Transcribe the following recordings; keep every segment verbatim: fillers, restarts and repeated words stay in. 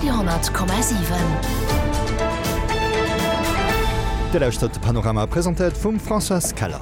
Radio honnert Komma siwen. Dir lauschtert de Panorama, presentéiert vum Françoise Keller.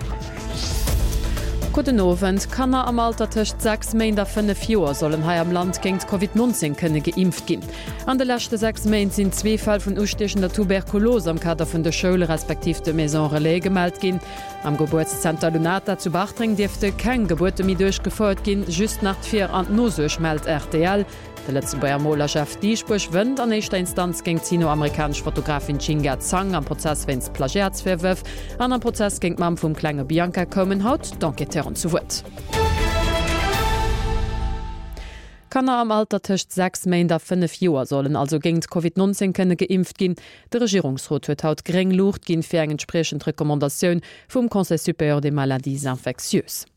Gudden Owend. Kanner am Alter tëscht sechs Méint a fënnef Joer sollen hei am Land géint Covid neunzéng kënne geimpft ginn. An de leschte sechs Méint sinn zwee Fäll vun ustiechender Tuberkulos am Kader vun de Schoule respektiv de Maisons Relais gemellt ginn. Am Gebuertszenter Lunata zu Bartreng dierfte keng Gebuerte méi duerchgefouert ginn, just nach d'Vir an d'Nosuerg, mellt rtl. De Lëtzebuerger Moler Jeff Dieschbourg wënnt an éischter Instanz géint d'sino-amerikanesch Fotografin Jinga Zhang am Prozess wéinst Plagiatsvirwërf. An am Prozess géint d'Mamm vum klenge Bianca koumen haut d'Enquêteuren zu Wuert. Kanner am Alter tëscht sechs Méint a fënnef Joer sollen also géint Covid neunzéng kënne geimpft ginn. De Regierungsrot huet haut gréng Luucht ginn fir eng entspriechend Recommandatioun vum Conseil supérieur des maladies infectieuses.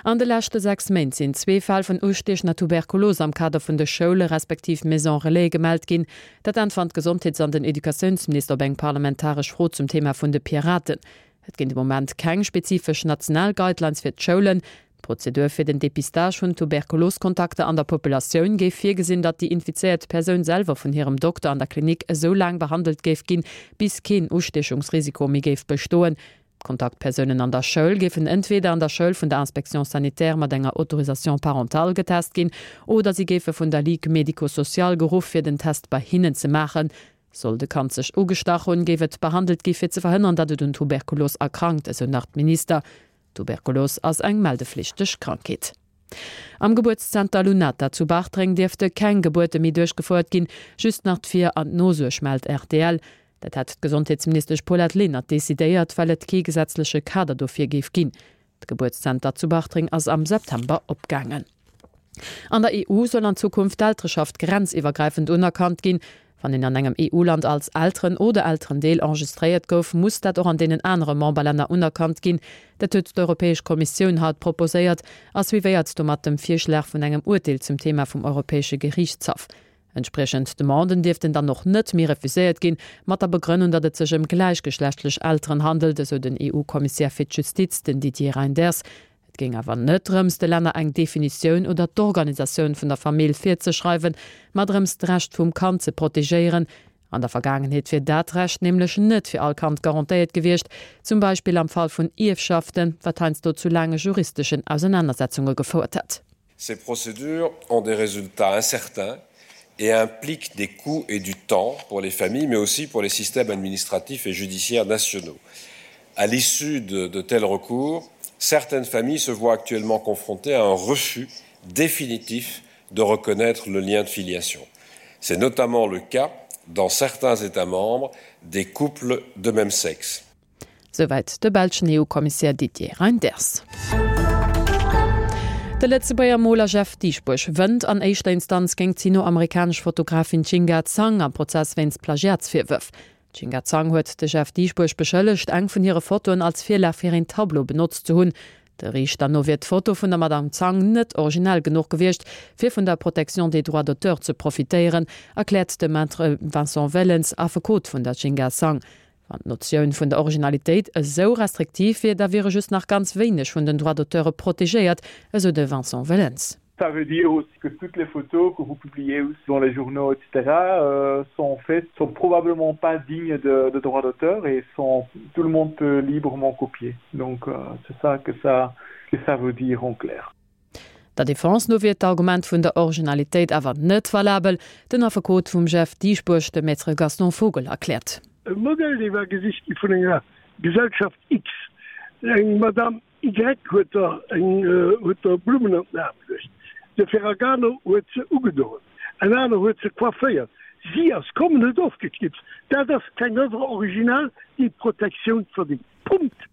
An de leschte sechs Méint sinn zwee Fäll vun ustiechender Tuberkulos am Kader vun de Schoule respektiv Maisons Relais gemellt ginn. Dat äntwert d'Gesondheets an den Educatiounsminister op eng parlamentaresch Fro zum Thema vun de Piraten. Et ginn de Moment keng spezifesch national Guidelines fir d'Schoulen. D'Prozedur fir den Depistage vun Tuberkuloskontakter an der Populatioun géif virgesinn, datt déi infizéiert Persoun selwer vun hirem Dokter an der Klinik esou laang behandelt géif ginn, bis keen Ustiechungsrisiko méi géif bestoen. D'Kontaktpersounen an der Schoul géifen entweder an der Schoul vun der Inspection sanitaire mat enger Autorisation parentale getest ginn oder si géife vun der Ligue médico-sociale geruff fir den Test bei hinnen ze maachen. Sollt e Kand sech ugestach hunn, géif et behandelt gi fir ze verhënnern, datt et un Tuberkulos erkrankt, esou nach d'Minister. Tuberkulos ass eng meldeflichteg Krankheet. Am Gebuertszenter Lunata zu Bartreng dierfte keng Gebuerte méi duerchgefouert ginn, just nach d'Vir an d'Nosuerg, mellt rtl. Dat hätt d'Gesondheetsministesch Paulette Lenert decidéiert, well et kee gesetzleche Kader dofir géif ginn. D'Gebuertszenter zu Bartreng ass am September opgaangen. An der E U soll an Zukunft d'Eltereschaft grenziwwergräifend unerkannt ginn. Wann een an engem E U-Land als Elteren oder Elterendeel enregistréiert gouf, muss dat och an deenen anere Memberlänner unerkannt ginn. Dat huet d'Europäesch Kommissioun haut proposéiert a suivéiert domat dem Virschlag vun engem Urteel zum Thema vum Europäesche Geriichtshaff. Entspriechend Demanden dierften dann och net méi refuséiert ginn, mat der Begrënnung, datt et sech ëm gläichgeschlechtlech Elteren handelt, esou den E U-Kommissär fir d'Justiz, den Didier Reynders. Et géing awer net drëms, de Länner eng Definitioun oder d'Organisatioun vun der Famill virzeschreiwen, ma drëms, d'Recht vum Kand ze protegéieren. An der Vergaangenheet wier dat Recht nämlech net fir all Kand garantéiert gewiescht, zum Beispill am Fall vun Ierfschaften, wat heiansdo zu laange juristeschen Ausenanersetzunge gefouert hätt. Ces procédures ont des résultats incertains et impliquent des coûts et du temps pour les familles, mais aussi pour les systèmes administratifs et judiciaires nationaux. À l'issue de, de tels recours, certaines familles se voient actuellement confrontées à un refus définitif de reconnaître le lien de filiation. C'est notamment le cas dans certains États membres des couples de même sexe. Souwäit de belschen E U-Kommissär Didier Reynders. De Lëtzebuerger Moler Jeff Dieschbourg wënnt an éischter Instanz géint d'sino-amerikanesch Fotografin Jinga Zhang am Prozess wéinst Plagiatsvirwërf. D'Jinga Zhang huet de Jeff Dieschbourg beschëllegt, eng vun hire Fotoen als Virlag fir een Tableau benotzt ze hunn. De Riichter no wier d'Foto vun der Madame Zhang net originell genuch gewiescht, fir vun der Protection des droits d'auteur ze profitéieren, erkläert de Maître Vincent Wellens, Affekot vun der Jinga Zhang. Wann d'Notioun vun der Originalitéit esou restriktiv wier, da wiere just nach ganz wéineg vun den Droits d'auteure protegéiert, esou de Vincent Wellens. Ça veut dire aussi que toutes les photos que vous publiez dans les journaux, et cetera, euh, sont en fait, sont probablement pas dignes de, de droits d'auteur et sont, tout le monde peut librement copier. Donc, euh, c'est ça que ça, que ça veut dire en clair. Der Defense no wier d'Argument vun der Originalitéit awer net valabel, den Affekot vum Jeff Dieschbourg, de Maître Gaston Vogel, erkläert. E Modell, dee war gesicht gi vun enger Gesellschaft X. Eng Madame Y huet der eng, huet der Blummen an den Aarm geluecht. De Ferragamo huet se ugedoen. En aner huet se coifféiert. Si ass komm en huet ofgeknipst. Dat ass keng Oeuvre originale, déi Protektioun verdéngt. Punkt!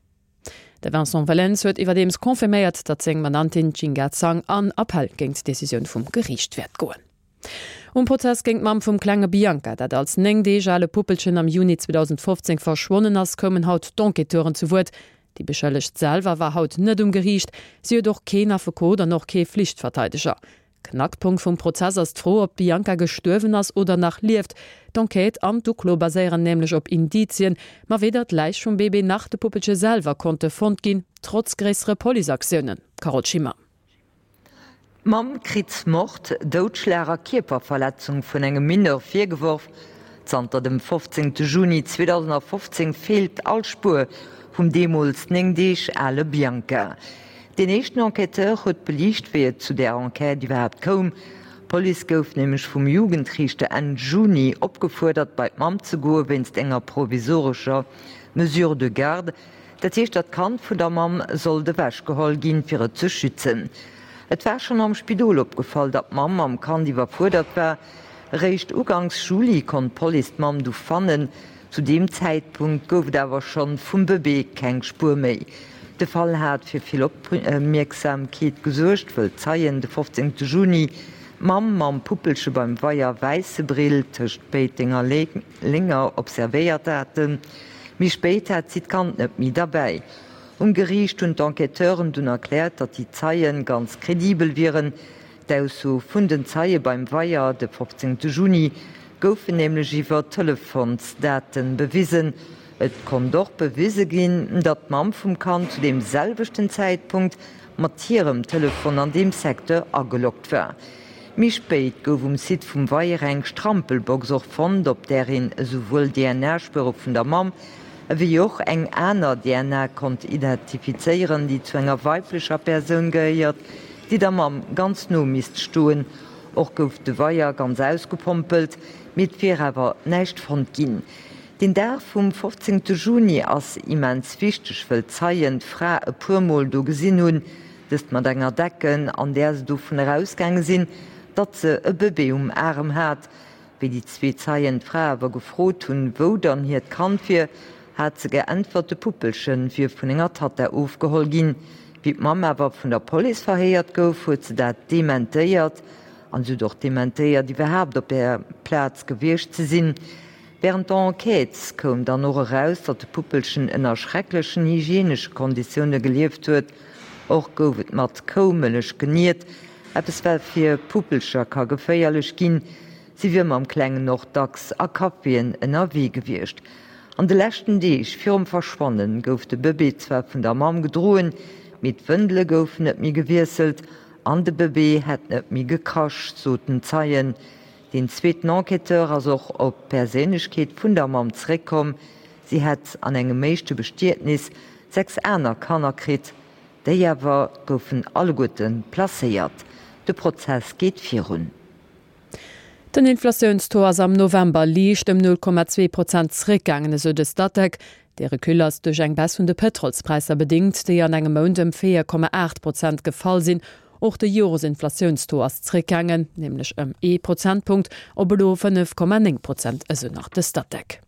De Vincent Wellens huet iwwerdeems confirméiert, datt seng Mandantin Jinga Zhang an Appell géint d'Decisioun vum Geriicht wäert goen. Um Prozess géint d'Mamm vum klenge Bianca, dat als néng Deeg ale Puppelchen am Juni zweedausendfofzéng verschwonnen ass, koumen haut d'Enquêteuren zu Wuert. Déi Beschëllegt selwer war haut net um Geriicht. Si huet och keen Affekot an och kee Flichtverteideger. Knackpunkt vum Prozess ass d'Fro, ob d'Bianca gestuerwen ass oder nach lieft. D'Enquête an d'Uklo baséieren nämlech op Indizien, ma weder d'Läich vum Bébé nach de Puppelche selwer konnte fonnt ginn, trotz gréissere Policeaktiounen. Carole Schimmer. Mamm kritt Mord, Doudschlag a Kierperverletzung vun engem Mineur virgeworf. Zanter dem fofzéngte Juni zweedausendafofzéng feelt all Spuer vum deemools néng Deeg ale Bianca. Deen éischten Enquêteur huet beliicht, wéi et zu där Enquête iwwerhaapt koum. D'Police gouf nämlech vum Jugendriichter Enn Juni opgefuerdert, bei d'Mamm ze goe wéinst enger provisorescher Mesure de garde. Dat heescht, datt d'Kand vun der Mamm sollt ewechgeholl ginn, fir et ze schützen. Et war schonn am Spidol opgefall, datt d'Mamm mam Kand iwwerfuerdert war. Eréischt uganks Juli konnt d'Police d'Mamm du fannen. Zu deem Zäitpunkt gouf et awer schonn vum Bëbee keng Spuer méi. De Fall hat fir vill Opmierksamkeet gesuergt, wëll Zeien de fofzéngte Juni d'Mamm mam Puppelche beim Weier Wäissebrill tëscht Péiteng a Lénger observéiert haten. Méi spéit hat si d'Kand net méi derbäi. Um Geriicht hunn d'Enquêteuren dunn erkläert, datt déi Zeie ganz kredibel wieren. D'Ausso vun den Zeie beim Weier de fofzéngte Juni goufen nämlech iwwer Telefonsdate bewisen. Et konnt och bewise ginn, datt d'Mamm vum Kand zu deem selwechten Zäitpunkt mat hirem Telefon an deem Secteur ageloggt war. Méi spéit gouf um Site vum Weier eng Strampelbox och fonnt, op där een esouwuel D N A-Spuere vun der Mamm ewéi och eng aner D N A konnt identifizéieren, déi zu enger weiblecher Persoun gehéiert, déi der Mamm ganz no misst stoen. Och gouf de Weier ganz ausgepompelt, mee et wier awer näischt fonnt ginn. Den Dag vum fofzéngte Juni ass immens wichteg, wëll Zeien d'Fra e puer Mol do gesinn hunn, dëst mat enger Decken, an där se dovun erausgaange sinn, datt se e Bëbee um Aarm hat. Wéi déi zwee Zeien d'Fra awer gefrot hunn, wou dann hiert Kand wier, hat se geäntwert, de Puppelche wier vun enger Tatta ofgeholl ginn. Wéi d'Mamm awer vun der Police verhéiert gouf, huet se dat dementéiert. An se huet och dementéiert, iwwerhaapt op där Plaz gewiescht ze sinn. Wärend der Enquête koum dann och eraus, datt de Puppelchen ënner schrecklechen hygienesche Konditioune gelieft huet. Och gouf et mat Koumëllech geniert, eppes wat fir Puppelcher ka geféierlech ginn. Si wier mam Klengen och dacks a Caféen ënnerwee gewiescht. An de leschten Deeg virum Verschwanne gouf de Bëbee zwar vun der Mamm gedroen, mee d'Wëndele goufen net méi gewiesselt an de Bëbee hätt net méi gekrasch, soten Zeien. Deen zweeten Enquêteur ass och op d'Perséinlechkeet vun der Mamm zeréckkomm. Si hätt an engem éischte Bestietnis sechs aner Kanner kritt, déi awer goufen alleguerte placéiert. De Prozess geet virun. Den Inflatiounstaux ass am November liicht ëm null Komma zwee Prozent zeréckgaangen, esou de Statec. Dee Recul ass duerch eng Baisse vun de Pëtrolspräisser bedéngt, déi an engem Mount ëm véier Komma aacht Prozent gefall sinn. Och de Joresinflatiounstaux ass zeréckgaangen, nämlech ëm ee Prozentpunkt op elo fënnef Komma néng Prozent, esou nach de Statec.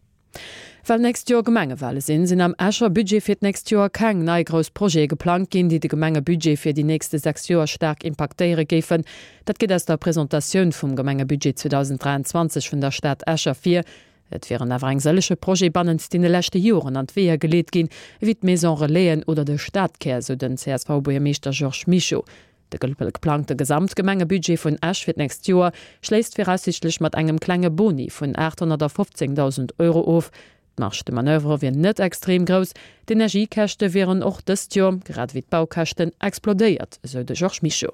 Well nächst Joer Gemengewale sinn, sinn am Escher Budget fir d'nächst Joer keng nei grouss Projete geplangt ginn, déi de Gemengebudget fir déi nächste sechs Joer staark impaktéiere géifen. Dat geet aus der Presentatioun vum Gemengebudget zweedausenddräianzwanzeg vun der Stad Esch ervir. Et wieren awer eng sëllege Projete bannent deene leschte Joren an d'Weeër geleet ginn, ewéi d'Maison Relaisen oder de Stadkär, sou den C S V-Buergermeeschter Georges Mischo. De geplangte Gesamtgemengebudget vun Esch fir d'nächst Joer schléisst viraussiichtlech mat engem klenge Boni vun aathonnertafofzéngdausend Euro of. D'Marge de manoeuvre wier net extrem grouss, d'Energiekäschte wieren och dëst Joer, grad ewéi d'Baukäschten, explodéiert, esou de Georges Mischo.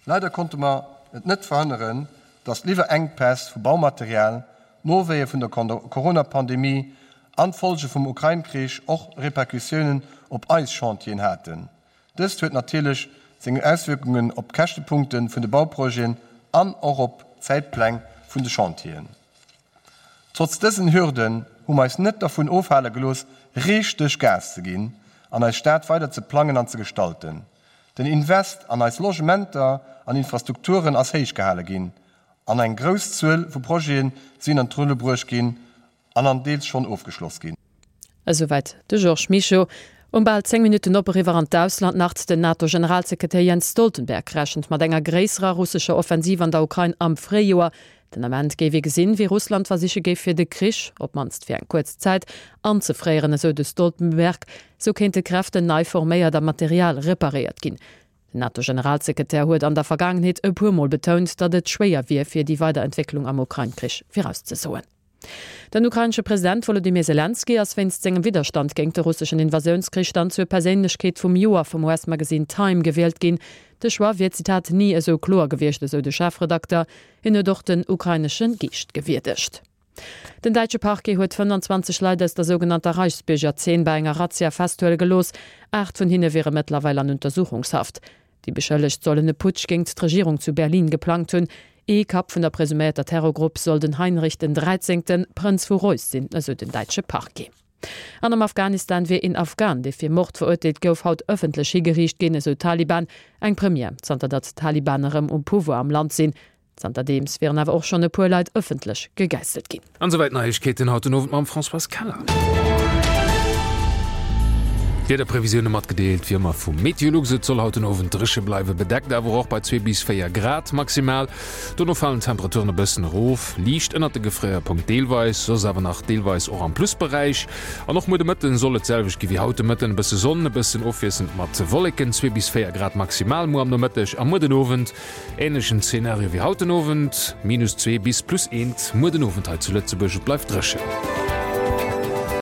Leider konnte mer et net verhënneren, dass d'Liwwerenkpäss vu Baumaterial, d'Nowéie vun der Corona-Pandemie an d'Follge vum Ukrain-Krich och Repercussiounen op eis Chantieren haten. Dëst huet natierlech seng Auswierkungen op d'Käschtepunkte vun de Bauprojeten an och op d'Zäitpläng vun de Chantieren. Trotz dësen Hürden hu mer eis net dervun ofhale gelooss, richteg Gas ze ginn an eis Stad weider ze plangen an ze gestalten. Den Invest an eis Logementer an Infrastrukturen ass héich gehale ginn an eng grouss Zuel vu Projete sinn an d'Rulle bruecht ginn an an deels schonn ofgeschloss ginn. Esouwäit de Georges Mischo. Um bal zéng Minutten op eriwwer an d'Ausland nach, Den NATO-Generalsekretär Jens Stoltenberg rechent mat enger gréisserer russescher Offensiv an der Ukrain am Fréijoer. Den Ament géif ee gesinn, wéi Russland versiche géif fir de Krich, op d'mannst fir eng kuerz Zäit, anzefréieren, esou de Stoltenberg. Sou kéinte Kräften nei forméiert a Material reparéiert ginn. Den NATO-Generalsekretär huet an der Vergaangenheet e puer Mol betount, datt et schwéier wier fir déi weider Entwécklung am Ukrain-Krich virauszesoen. Den ukrainesche President Wolodymyr Selenskyj ass wéinst sengem Widderstand géingt de russeschen Invasiounskrich dann zur Perséinlechkeet vum Joer vum U S-Magasinn Time gewielt ginn. De Choix wier, Zitat, ni esou kloer gewiescht, esou de Chefredakter. Hien huet och den ukrainesche Geescht gewierdegt. Den däitsche Parquet huet fënnanzwanzeg Leit aus der sougenannter Reichsbürger-Zeen bei enger Razzia festhuele gelooss. Aacht vun hinne wiere mëttlerweil an Untersuchungshaft. Déi Beschëllegt sollen e Putsch géingt d'Regierung zu Berlin geplangt hunn. Ee Kapp vun der presuméierter Terrorgrupp soll den Heinrich den Dräizéngten, Prënz vu Reuss sinn, esou den däitsche Parquet. An am Afghanistan wier een Afghan, dee fir Mord verurteelt gouf, haut ëffentlech higeriicht ginn, esou d'Taliban. Eng Première, zanter datt d'Taliban erëm um Pouvoir am Land sinn. Zanterdeems wieren awer och schonn e puer Leit ëffentlech gegäisselt ginn. An esouwäit d'Neiegkeeten haut den Owend mam Françoise Keller. D'Wiederprevisioune matgedeelt wéi ëmmer vu Meteolux. Et soll haut den Owend dréche bleiwen, bedeckt awer och bei zwee bis véier Grad maximal. Dono falen d'Temperaturen e bëssen erof, liicht ënnert de Gefréierpunkt deelweis, soss awer nach deelweis och am Plusberäich. An och muer de Mëtten soll et d'selwecht gi wéi haut de Mëtten, e bësse Sonn, e bëssen ofwiesselnd mat Wolleken, zwee bis véier Grad maximal muer am Nomëtteg a muer den Owend änlechen Zenario wéi haut den Owend, minus zwee bis plus eent muer den Owend hei zu Lëtzebuerg. Et bleift dréchen.